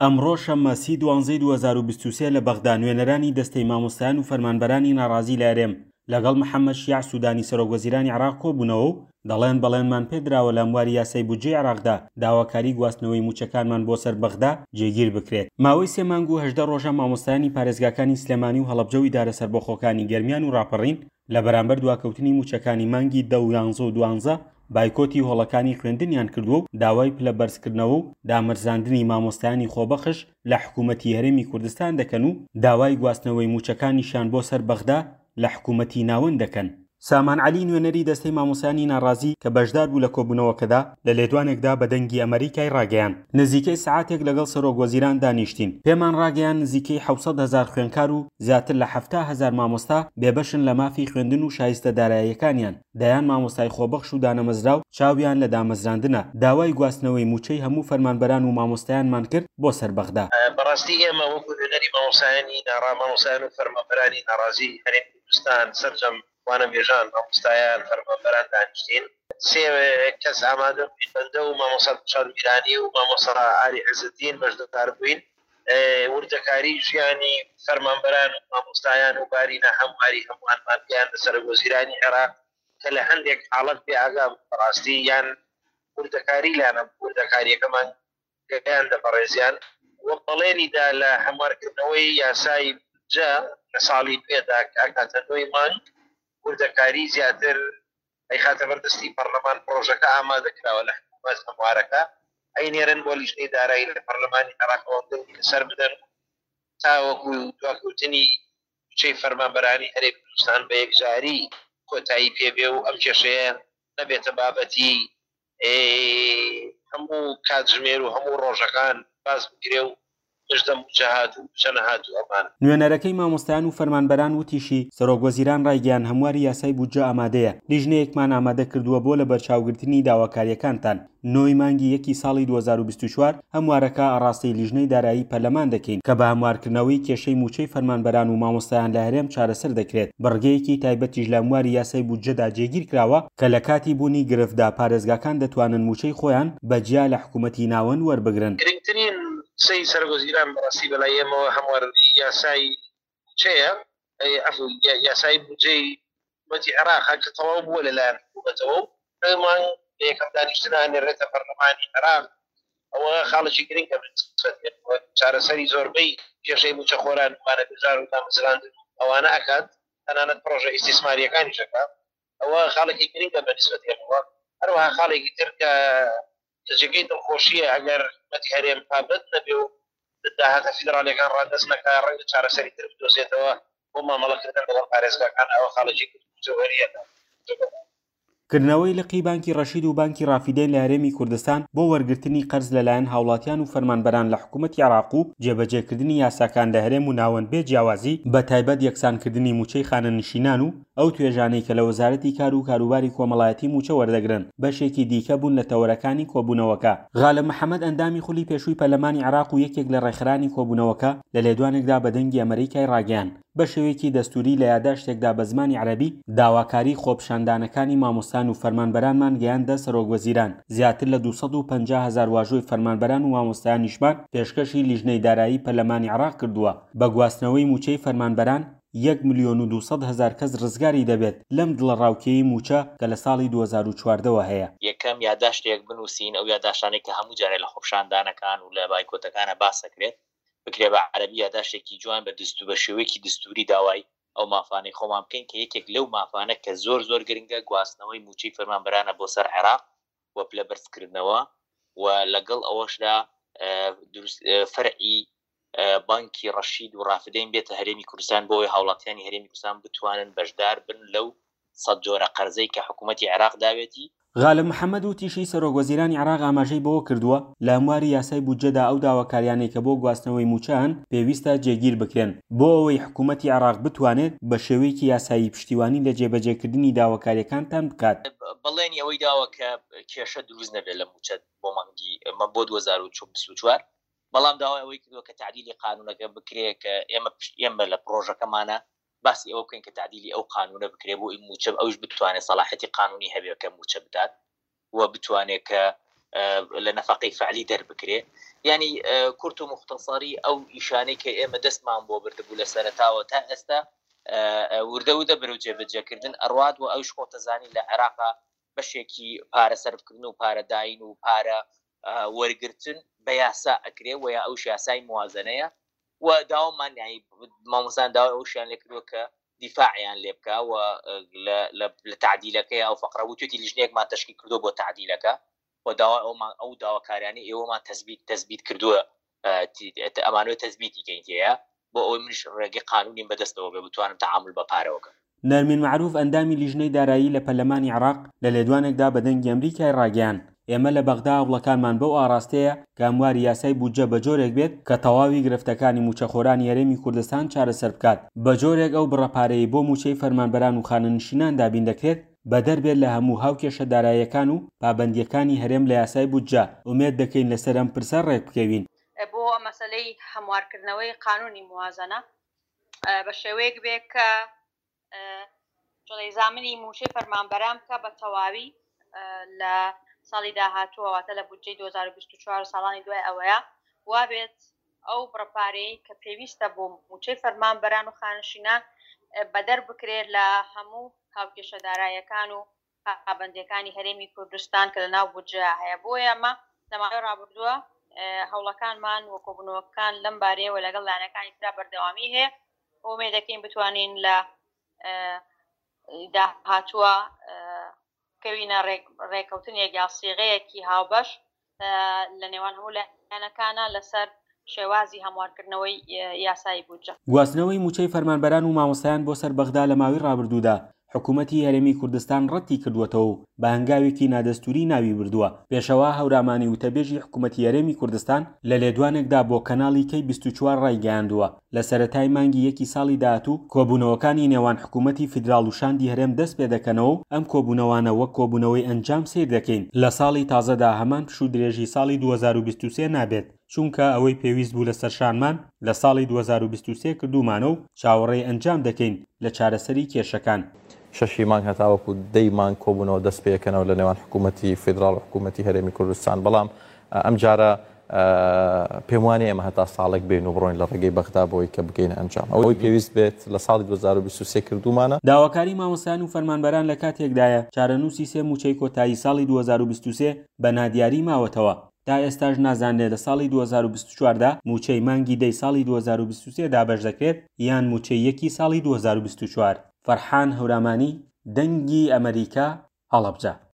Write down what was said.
ئەمڕۆ شەممە سی دوانزەی 2023 لە بەغدا نوێنەرانی دەستەی مامۆستایان و فەرمانبەرانی ناڕازی لە هەرێم لەگەڵ محەممەد شیاع سوودانی سەرۆکوەزیرانی عێراق کۆبوونەوە و دەڵێن بەڵێنمان پێدراوە لە هەمواری یاسای بودجەی عێراقدا داواکاری گواستنەوەی مووچەکانمان بۆ سەر بەغدا جێگیر بکرێت. ماوەی سێ مانگ و 18 ڕۆژە مامۆستایانی پارێزگاکانی سلێمانی و هەڵەبجە و ئیدارە سەربەخۆکانی گەرمیان و ڕاپەڕین لە بەرامبەر دواکەوتنی مووچەکانی مانگی دە و یانزە و دوانزە بایکۆتی هۆڵەکانی خوێندنیان کردووە و داوای پلە بەرزکردنەوە و دامەرزاندنی مامۆستایانی خۆبەخش لە حکوومەتی هەرێمی کوردستان دەکەن و داوای گواستنەوەی مووچەکانیشیان بۆ سەر بەغدا لە حکوومەتی ناوەند دەکەن. سامان عەلی نوێنەری دەستەی مامۆستایانی ناڕازی کە بەشدار بوو لە کۆبوونەوەکەدا لە لێدوانێکدا بە دەنگی ئەمەریکای ڕاگەیاند نزیکەی سەعاتێک لەگەڵ سەرۆک وەزیران دانیشتین پێمان ڕاگەیاند نزیکەی 700 هەزار خوێندکار و زیاتر لە 70 هەزار مامۆستا بێبەشن لە مافی خوێندن و شایستە داراییەکانیان دەیان مامۆستای خۆبەخش و دانەمەزراو چاویان لە دامەزراندنە داوای گواستنەوەی مووچەی هەموو فەرمانبەران و مامۆستایانمان کرد بۆ سەر بەغدا. بەڕاستی ئێمە وەکو نوێنەری مامۆستایانی ناڕا مامۆستایان و فەرمانبەرانی ناڕازی هەرێمی کوردستان سەرجەم وانەبێژان، مامۆستایان، فەرمانبەران دانیشتین. سێ کەس ئامادە بووین، بەندە و مامۆستا دڵشاد میرانی و مامۆستا ئاری عزەدین بەشدار بووین. وردەکاری ژیانی فەرمانبەران و مامۆستایان و باری ناهەمواری هەمووانمان گەیاندە سەرۆکوەزیرانی عێراق کە لە هەندێک حاڵەت بێ ئاگا بوو بەڕاستی یان وردەکاری لانە وردەکاریەکەمان گەیاندە بەڕێزیان و بەڵێنی دا لە هەموارکردنەوەی یاسای بودجە لە ساڵی نوێدا کە ئەکاتە نۆی مانگ وردەکاری زیاتر ئەیخاتە بەر دەستی پەڕلەمان، پڕۆژەکە ئامادە کراوە لە حکوومەت هەموارەکە ئەینێرن بۆ لیژنەی دارایی لە پەڕلەمانی عێراقەوە دەنگی لەسەر بدەن و تاوەکو دواکەوتنی مووچەی فەرمانبەرانی هەرێمی کوردستان بە یەکجاری کۆتایی پێ بێ و ئەم کێشەیە نەبێتە بابەتی هەموو کاتژمێر و هەموو ڕۆژەکان باس بکرێ و مژدە مووچە هات و مووچە نەهات و ئەمانە. نوێنەرەکەی مامۆستایان و فەرمانبەران وتیشی، سەرۆکوەزیران ڕایگەیاند هەمواری یاسای بودجە ئامادەیە، لیژنەیەکمان ئامادە کردووە بۆ لەبەرچاوگرتنی داواکارییەکانتان، نۆی مانگی یەکی ساڵی 2024 هەموارەکە ئاڕاستەی لیژنەی دارایی پەرلەمان دەکەین کە بە هەموارکردنەوەی کێشەی مووچەی فەرمانبەران و مامۆستایان لە هەرێم چارەسەر دەکرێت، بڕگەیەکی تایبەتیش لە هەمواری یاسای بودجەدا جێگیرکراوە کە لە کاتی بوونی گرفتدا پارێزگاکان دەتوانن مووچەی خۆیان بە جیا لە حکوومەتی ناوەند وەربگرن. گرنگترین قسەی سەرۆکوەزیران بەڕاستی بەلای ئێمەوە هەمواری یاسای مووچەیە، عەفو یاسای بودجەی حکوومەتی عێراقە کە تەواو بووە لەلایەن حکوومەتەوە و نۆی مانگ لە یەکەم دانیشتنا ئەنێرێتە پەرلەمانی عێراق، ئەوە خاڵێکی گرنگە بە نسبەت ئێمەوە، چارەسەری زۆربەی کێشەی مووچەخۆران و وانەبێژان و دامەزراندن و ئەوانە ئەکات، تەنانەت پڕۆژە ئیستیسمارییەکانیش ئەکات. ئەوە خاڵێکی گرنگە بە نسبەت ئێمەوە. هەروەها خاڵێکی تر کە کە جێگەی دڵخۆشییە ئەگەر حکومەتی هەرێم پابەند نەبێ و داهاتە فیدراڵیەکان ڕادەست نەکا ڕەنگە چارەسەری تر بدۆزێتەوە بۆ مامەڵەکردن لەگەڵ پارێزگاکان ئەوە خاڵێکی گرنگ و جەوهەرییە لە کردنەوەی لقی بانکی ڕەشید و بانکی ڕافیدەین لە هەرێمی کوردستان بۆ وەرگرتنی قەرز لەلایەن هاوڵاتیان و فەرمانبەران لە حکومەتی عێراق و جێبەجێکردنی یاساکان لە هەرێم و ناوەند بێ جیاوازی بەتایبەت یەکسانکردنی مووچەی خانەنشینان و ئەو توێژانەی کە لە وەزارەتی کار و کاروباری کۆمەڵایەتی مووچە وەردەگرن بەشێکی دیکە بوون لە تەوەرەکانی کۆبوونەوەکە. غالب محەمەد ئەندامی خولی پێشووی پەرلەمانی عێراق و یەکێک لە ڕێکخەرانی کۆبوونەوەکە لە لێدوانێکدا بە دەنگی ئەمەریکای ڕاگەیاند بە شێوەیەکی دەستووری لە یاداشتێکدا بە زمانی عەرەبی داواکاری خۆپیشاندانەکانی مامۆستان و فەرمانبەرانمان گەیاندە سەرۆکوەزیران زیاتر لە 250 هەزار واژۆی فەرمانبەران و مامۆستایانیشمان پێشکەشی لیژنەی دارایی پەرلەمانی عێراق کردووە بە گواستنەوەی مووچەی فەرمانبەران یەک ملیۆن و 200 هەزار کەس ڕزگاری دەبێت لەم دڵەڕاوکێی مووچە کە لە ساڵی 2014 وە هەیە. یەکەم، یاداشتێک بنووسین، ئەو یاداشتانەی کە هەموو جارێ لە خۆپیشاندانەکان و لە بایکۆتەکانا باس ئەکرێت، بکرێ بە عەرەبی یاداشتێکی جوان بە دستو بە شێوەیەکی دستووری داوای ئەو مافانەی خۆمان بکەین کە یەکێک لەو مافانە کە زۆر زۆر گرنگە گواستنەوەی مووچەی فەرمانبەرانە بۆ سەر عێراق و پلە بەرزکردنەوە و لەگەڵ ئەوەشدا دروست فەرعی بانکی ڕەشید و ڕافدەین بێتە هەرێمی کوردستان بۆ ئەوەی هاوڵاتیانی هەرێمی کوردستان بتوانن بەشدار بن لەو سەد جۆرە قەرزەی کە حکوومەتی عێراق داوێتی. غالب محەمەد وتیشی، سەرۆکوەزیرانی عێراق ئاماژەی بەوە کردووە، لە هەمواری یاسای بودجەدا ئەو داواکاریانەی کە بۆ گواستنەوەی مووچە هەن پێویستە جێگیر بکرێن، بۆ ئەوەی حکوومەتی عێراق بتوانێت بە شێوەیەکی یاسایی پشتیوانی لە جێبەجێکردنی داواکارییەکانتان بکات. بەڵێنی ئەوەی داوە کە کێشە دروست نەبێت لە مووچە بۆ مانگی بۆ 2024، بەڵام داوای ئەوەی کردووە کە تەعدیلی قانوونەکە بکرێ کە ئێمە پشت ئێمە لە پڕۆژەکەمانە باسی ئەوە بکەین کە تەعدیلی ئەو قانوونە بکرێ بۆ ئەوی مووچە ئەویش بتوانێت سەڵاحیەتی قانوونی هەبێ کە مووچە بدات و بتوانێت کە. لە نەفەقەی فعلی دەربکرێ یانی کورت و موختەسەری ئەو ئیشانەی کە ئێمە دەستمان بۆ بردبوو لە سەرەتاوە تا ئێستا وردە وردە بەرەو جێبەجێکردن ئەڕوات و ئەویش خۆتەزانی لە عێراقا بەشێکی پارە سەرفکردن و پارە داین و پارە وەرگرتن بە یاسا ئەکرێ و یا ئەوش یاسای موازنەیە و داوامان یانی مامۆستایان داوای ئەوشیان لێ کردووە کە دیفاعیان لێ بکا و لە تەعدیلەکەی ئەو فەقرە وتوێتی لیژنەیەکمان تەشکیل کردووە بۆ تەعدیلەکە و داوای ئەومان ئەو داواکاریانەی ئێوەمان تەسبیت تەسبیت کردووە ئەمانەوێت تەسبیتی کەین تێیە بۆ ئەوەی منیش ڕێگەی قانونیم بەدەستەوە بێ بتوانم تەعامول بە پارەوە کەم. نەرمین مەعروف ئەندامی لیژنەی دارایی لە پەرلەمانی عێراق لە لێدوانێکدا بە دەنگی ئەمریکای ڕاگەیاند، ئێمە لە بەغدا هەوڵەکانمان بەو ئاڕاستەیە کە هەمواری یاسای بودجە بە جۆرێک بێت کە تەواوی گرفتەکانی مووچەخۆرانی هەرێمی کوردستان چارەسەر بکات بە جۆرێک ئەو بڕە پارەیەی بۆ مووچەی فەرمانبەران و خانەنشینان دابین دەکرێت بەدەر بێت لە هەموو هاوکێشە داراییەکان و پابەندییەکانی هەرێم لە یاسای بودجە، ئومێد دەکەین لەسەر ئەم پرسە ڕێکبکەوین. بۆ مەسەلەی هەموارکردنەوەی قانونی موازەنە بە شێوەیەک بێ کە جڵەی زامنی مووچەی فەرمانبەران بکە بە تەواوی لە ساڵی داهاتووە واتە لە بودجەی 2024 ساڵانی دوای ئەوەیە وابێت ئەو بڕە پارەیەی کە پێویستە بۆ مووچەی فەرمانبەران و خانشینان بەدەر بکرێت لە هەموو هاوکێشە دارایەکان و پابەندییەکانی هەرێمی کوردستان کە لەناو بودجەیا هەیە، بۆیە ئەمە لە ماوەی ڕابردووە هەوڵەکانمان و کۆبوونەوەکان لەم بارەیەوە لەگەڵ لایەنەکانی ترا بەردەوامی هەیە و ئومێد دەکەین بتوانین لە داهاتووە بکەوینە ڕێکەوتنێک یا سیغەیەکی هاوبەش لە نێوان هەموو لایەنەکانە لەسەر شێوازی هەموارکردنەوەی یاسایی بودجە. گواستنەوەی مووچەی فەرمانبەران و مامۆستایان بۆ سەر بەغدا لە ماوەی ڕابردوودا حکوومەتی هەرێمی کوردستان ڕەتی کردووەتەوە و بە هەنگاوێکی نادەستووری ناوی بردووە. پێشەوا هەورامانی وتەبێژی حکوومەتی هەرێمی کوردستان لە لێدوانێکدا بۆ کەناڵی کەی 24 ڕایگەیاندووە، لە سەرەتای مانگی یەکی ساڵی داهاتوو کۆبوونەوەکانی نێوان حکوومەتی فیدراڵ و شاندی هەرێم دەست پێدەکەنەوە و ئەم کۆبوونەوانە وەک کۆبوونەوەی ئەنجام سەیر دەکەین. لە ساڵی تازەدا هەمان پشوو درێژی ساڵی 2023 نابێت، چونکە ئەوەی پێویست بوو لەسەر شانمان لە ساڵی 2023 کردوومانە و چاوەڕێی ئەنجام دەکەین لە چارەسەری کێشەکان. شەشی مانگ هەتاوەکو دەی مانگ کۆبوونەوە دەست پێکەنەوە لە نێوان حکوومەتی فیدراڵ و حکوومەتی هەرێمی کوردستان، بەڵام ئەمجارە پێم وانیە ئێمە هەتا ساڵێک بێین و بڕۆین لە ڕێگەی بەغدا بۆی کە بگەینە ئەنجام. ئەوەی پێویست بێت لە ساڵی 2023 کردوومانە. داواکاری مامۆستایان و فەرمانبەران لە کاتێکدایە، چارەنووسی سێ مووچەی کۆتایی ساڵی 2023 بە نادیاری ماوەتەوە، تا ئێستاش نازانرێت لە ساڵی 2024 دا مووچەی مانگی دەی ساڵی 2023 دابەش دەکرێت یان مووچەی یەکی ساڵی 2024. فەرحان هەورامانی، دەنگی ئەمەریکا، هەڵەبجە.